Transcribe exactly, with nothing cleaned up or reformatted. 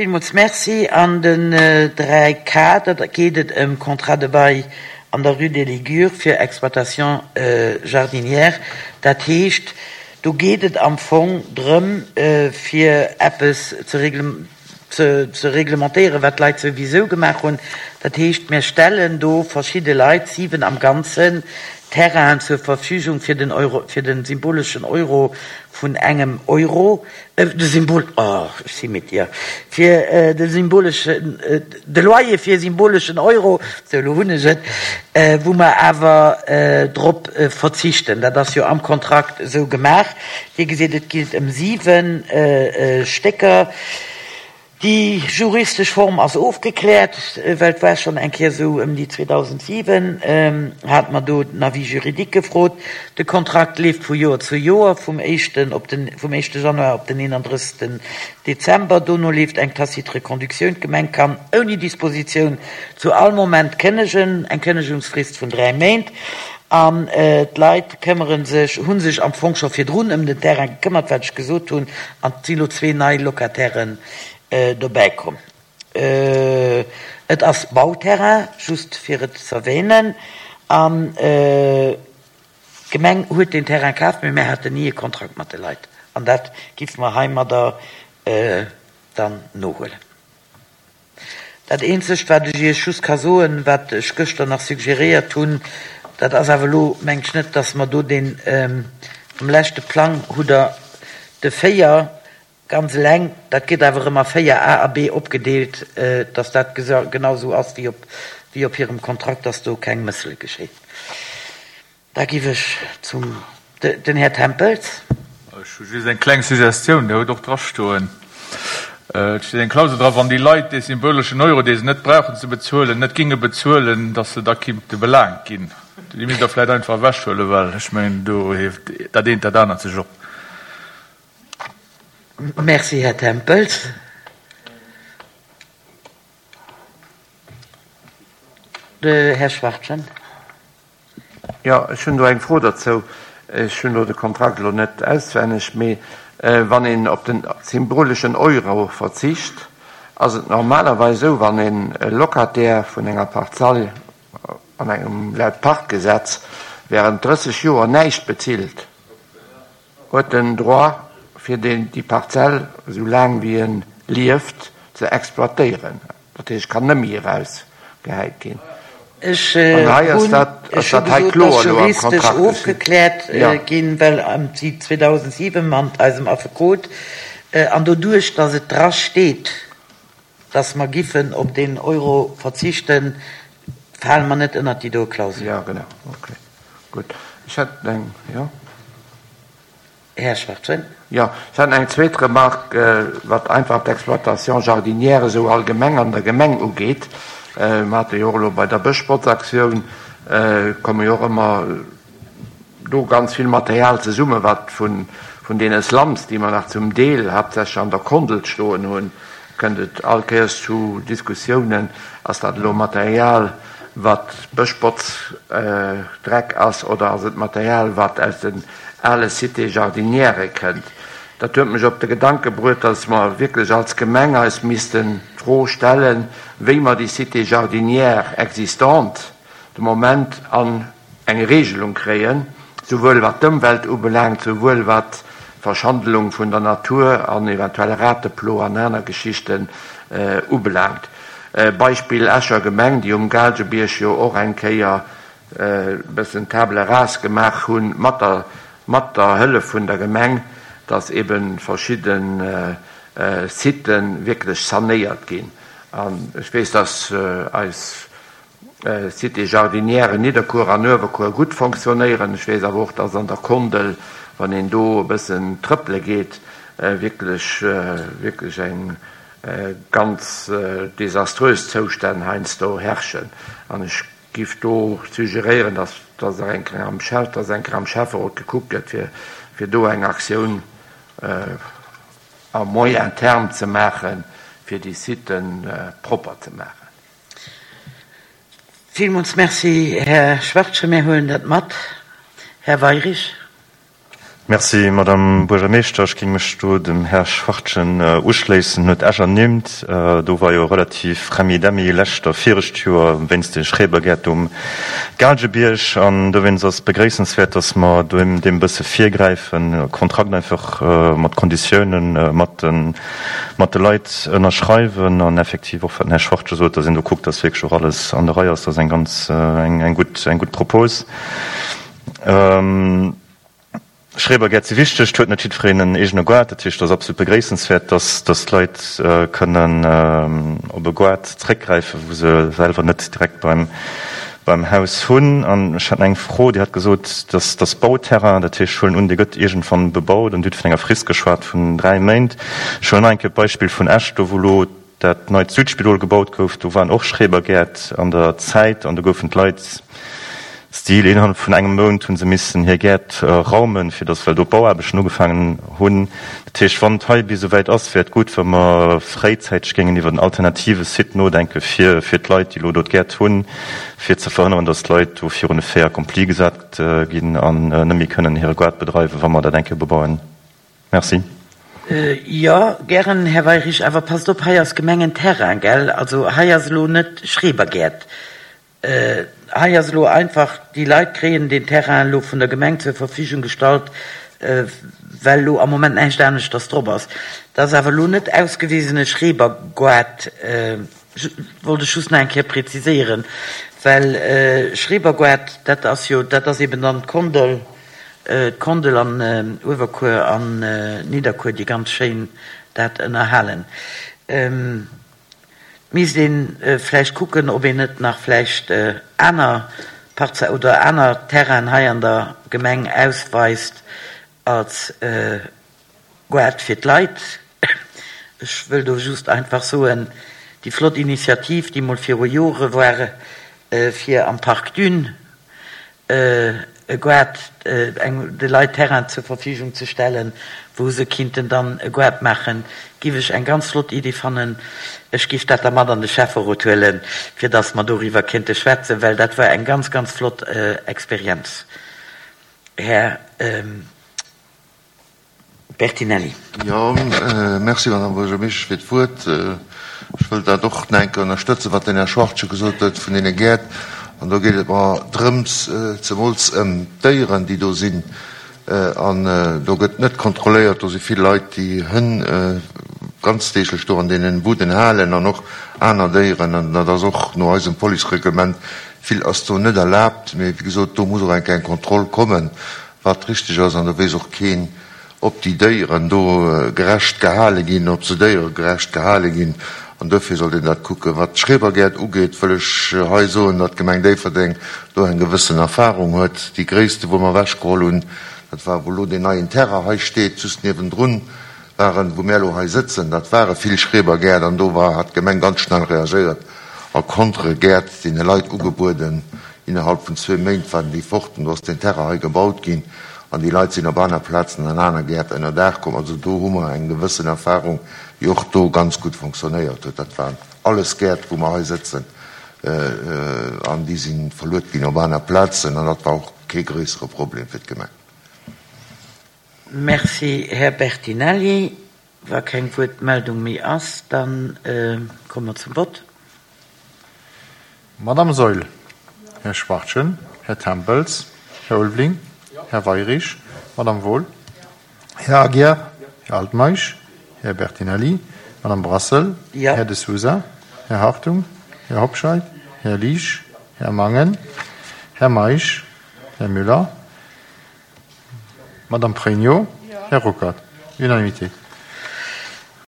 Villmools Merci. An den dräi K, da geet et ëm Contrat de bail an der Rue des Ligures fir Exploitation jardinière. Dat heescht, do geet et am Fong drëm, fir eppes ze ze reglementéieren, wat d'Leit souwisou gemaach hunn. Dat heescht, mir stellen do verschidde Leit, siwen am Ganzen, Terrainen zur Verfügung fir den Euro, fir de symboleschen Euro vun engem Euro, de Symbol, oh, ech si midd, jo, fir de symboleschen, de Loyer fir e symboleschen Euro, sou, elo hunn ech et, wou mer awer drop verzichten. Dat ass jo am Kontrakt esou gemaach. Dir gesitt, et geet ëm siwe Stécker. Déi juristesch Form ass ofgekläert, well et war schonn eng Kéier esou, ëm déi zweedausendsiwen hate mer do den Avis juridique gefrot. De Kontrakt leeft vu Joer zu Joer, vum éischten op den, vum éischte Januar op den eenandrëssegsten Dezember. Dono leeft eng tacite Reconductioun. D'Gemeng kann ouni Dispositioun zu all Moment kënnegen, eng Kënnegungsfrist vun dräi Méint. An d'Leit këmmere sech, hu sech am Fong scho virdrun ëm den Terrain gekëmmert, wat ech gesot hunn, an et si lo zwee nei Locatairen dobäi komm. Et ass Bauterrain, just fir et z'erwähnen. An d'Gemeng huet deen Terrain kaf, mee mir haten ni e Kontrakt mat de Leit. An dat géife mer heimadder dann nohuelen. Dat eenzegt, wat ech Iech just ka soen, wat ech gëschter nach suggéréiert hunn, dat ass awer elo, mengt ech net, dass mer do deen, am leschte Plang hutt Der de véier ganz eleng, dat gëtt awer erëm a véier A a B opgedeelt, dass dat genau esou ass wéi op, wéi op hirem Kontrakt, dass do keng Mëssele geschéien. Da giff ech zum, den Här Tempels. Ech hu just eng kleng Suggestioun, Der hutt och drastoen, et steet eng Klausel dra, wann déi Leit dee symboleschen Euro, dee se net brauchen ze bezuelen, net ginge bezuelen, datt se da kinnte belaangt ginn. Déi misst Der vläicht einfach ewechhuelen, well ech mengen, do hieft dat eent dat anert sech op. Merci, Här Tempels. De Här Schwachtgen. Jo, ech hunn do eng Fro derzou. Ech hunn elo de Kontrakt elo net auswenneg, mee wann een op den symboleschen Euro verzicht, ass et normalerweis esou, wann een e Locataire vun enger Parzell an engem, laut Parkgesetz, während drësseg Joer näischt bezilt, huet en Droit fir déi Parzell esou laang wéi e lieft ze exploitéieren. Dat heescht, kann net méi erausgehäit ginn. Ech hunn ech hu gesot, dass juristesch ofgekläert ginn, well ëm déi zweedausendsiwen mat eisem Affekot, an doduerch, dass et dra steet, dass mer giffen op deen Euro verzichten, fale mer net ënnert déi doe Klausel. Jo, genau. Okay, gutt. Ech hätt eng, jo. Här Schwachtgen. Jo, ech hat eng zweet Remarque, wat einfach d'Exploitation jardinière esou allgemeng an der Gemeng ugeet. Mer hate jo och elo bei der Bëschbotzaktioun, komme jo och ëmmer do ganz vill Material zesummen, wat vun deene Slums, déi mer nach zum Deel haaptsächlech an der Kondel stoen hunn, kënnt et all Kéiers zu Diskussiounen, ass dat elo Material, wat Bëschbotzdreck ass oder ass et Material, wat aus den ale Cités jardinièrë kënnt. Dat huet mech op de Gedanke bruet, dass mer wierklech als Gemeng eis missten d'Fro stellen, wéi mer déi Cité jardinière existante de Moment an eng Regelung kréien, souwuel wat d'Ëmwelt ubelaangt, souwuel wat d'Verschandelung vun der Natur an eventuell Rateplo an aner Geschichten ubelaangt. Beispill Escher Gemeng, déi um Gaalgebierg jo och eng Kéier e bëssen Table rase gemaach hunn, mat der mat der Hëllef vun der Gemeng, dass ebe verschidde Sitë wierklech sanéiert ginn. An ech weess, dass eis Cités jardinières Nidderkuer an Uewerkuer gutt fonctionnéieren. Ech weess awer och, dass an der Kondel, wann een do e bëssen trëppele geet, wierklech, wierklech eng ganz desaströs Zoustänn heiansdo herrschen. An ech giff do suggeréieren, dass dass nach eng Kéier am Schäff, dass eng Kéier am Schäfferot gekuckt gëtt, fir fir do eng Aktioun à moyen terme ze maachen, fir déi Siten propper ze maachen. Villmools Merci, Här Schwachtgen. Mir huelen dat mat. Här Weirich. Merci, Madame Buergermeeschter. Ech géing mech do dem Här Schwachtgen uschléissen. En huet Esch ernimmt. Do war jo relativ Remmi-Demmi lescht a virecht Joer wéinst de Schrebergäert um Gaalgebierg. An dowéinst ass et begréissenswäert, dass mer deem e bësse virgräifen, e Kontrakt einfach mat Konditiounen mat de mat de Leit ënnerschreiwen an effektiv och, wat den Här Schwachtgen sot, dass een do kuckt, dass wierklech och alles an der Rei ass. Dat ass eng ganz eng gutt eng gutt Propos. Schrebergäert si wichteg, et huet net jiddwereen en eegene Goart. Dat heescht, et ass absolut begréissenswäert, dass dass d'Leit kënnen op e Goart zréckgräifen, wou se selwer net direkt beim beim Haus hunn. An ech hat nach eng Fro, Dir hat gesot, dass dass Bauterrain, dat heescht, ech huelen un, dee gëtt iergendwann bebaut, an Dir hutt vun enger Frist geschwat vun dräi Méint. Ech huelen nach eng Kéier d'Beispill vun Esch, do wou elo dat neit Südspidol gebaut gouf, do waren och Schrebergäert an der Zäit an do goufen d'Leit, Stil, Innerhalb vun engem Mount hu se missen hir Gäert raumen, fir datt, well do d'Bauaarbechten ugefaangen hunn. Dat heescht, wann et hei bis esou wäit ass, wär et gutt, wa mer fréizäiteg géingen iwwer en alternative Site nodenke fir fir d'Leit, déi elo do d'Gäert hunn, fir ze verhënneren, datt d'Leit do virun e Fait accompli gesat ginn an net méi kënnen hire Gaart bedreiwen, wa mer dat eng Kéier bebauen. Merci. Jo, gären, Här Weirich, awer passt op, hei ass Gemengenterrain, gell? Also hei ass elo net Schrebergäert. Hei ass elo einfach, déi Leit kréien deen Terrain elo vun der Gemeng zur Verfügung gestallt, well elo am Moment näischt aneschters drop ass. Dat ass awer elo net ausgewisene Schrebergoart, wollt ech just nach eng Kéier präziséieren, well Schrebergoart, dat ass jo, dat ass eben dann d'Kondel, d'Kondel an Uewerkuer an Nidderkuer, déi ganz schéin dat ënnerhalen. Et misst ee vläicht kucken, ob een net nach vläicht aner Parze oder aner Terrainen hei an der Gemeng ausweist als Goart fir d'Leit. Ech wëll do just einfach soen, déi flott Initiativ, déi mol viru Jore war, fir am Parc Dune e Goart, eng, de Leit Terrain zur Verfügung ze stellen, wou se kinnten dann e Goart maachen, giff ech eng ganz flott Iddi fannen. Ech giff dat da mat an de Schäfferot huelen, fir dass mer doriwwer kéinte schwätzen, well dat war eng ganz, ganz flott Experienz, Här. Bertinelli. Jo, merci, Madame Buergermeeschtesch, fir d'Wuert. Ech wëll dat och nach eng Kéier ënnerstëtzen, wat den Här Schwachtgen gesot huet vun deene Gäert. An do geet et mer drëms, zemools ëm d'Déieren, déi do sinn. An do gëtt net kontrolléiert. Do si vill Leit, déi Hënn ganzdeeglech do an deenen Buden halen an och aner Déieren. An dat ass och no eisem Policereglement, vill ass do net erlaabt. Mee wéi gesot, do muss och eng Kéier eng Kontroll kommen, wat richteg ass. An do weess och keen, ob déi Déieren do gerecht gehale ginn, ob se déieregerecht gehale ginn, an duerfir sollt een dat kucken. Wat d'Schrebergäert ugeet, wëll ech hei soen, datt d'Gemeng Déifferdeng do eng gewëssen Erfahrung huet. Déi gréisste, wou mer ewechgeholl hunn, dat war, wou elo deen neien Terrain hei steet, just niewendrun waren, wou mär elo hei sëtzen, dat ware vill Schrebergäert, an do war, hat d'Gemeng ganz schnell reagéiert a Contre-Gäert deene Leit ugebueden. Innerhalb vun zwee Méint waren déi fort an do ass deen Terrain hei gebaut ginn an déi Leit sinn op aner Plazen an aner Gäert ënnerdaach komm. Also do hu mer eng gewëssen Erfahrung, déi och do ganz gutt fonctionnéiert huet. Dat waren alles Gäert, wou mer hei sëtzen, an déi si verluet ginn op aner Plazen an dat war och kee gréissere Problem fir d'Gemeng. Merci, Här Bertinelli. Wa keng Wuertmeldung méi ass, da komme mer zum Vott. Madame Saeul, Här Schwachtgen, Här Tempels, Här Ulveling, Här Weirich, Madame Wohl, Här Aguiar, Här Altmeisch, Här Bertinelli, Madame Brassel, Här De Sousa, Här Hartung, Här Hobscheit, Här Liesch, Här Mangen, Här Meisch, Här Müller, Madame Pregno, Här Ruckert. Unanimité.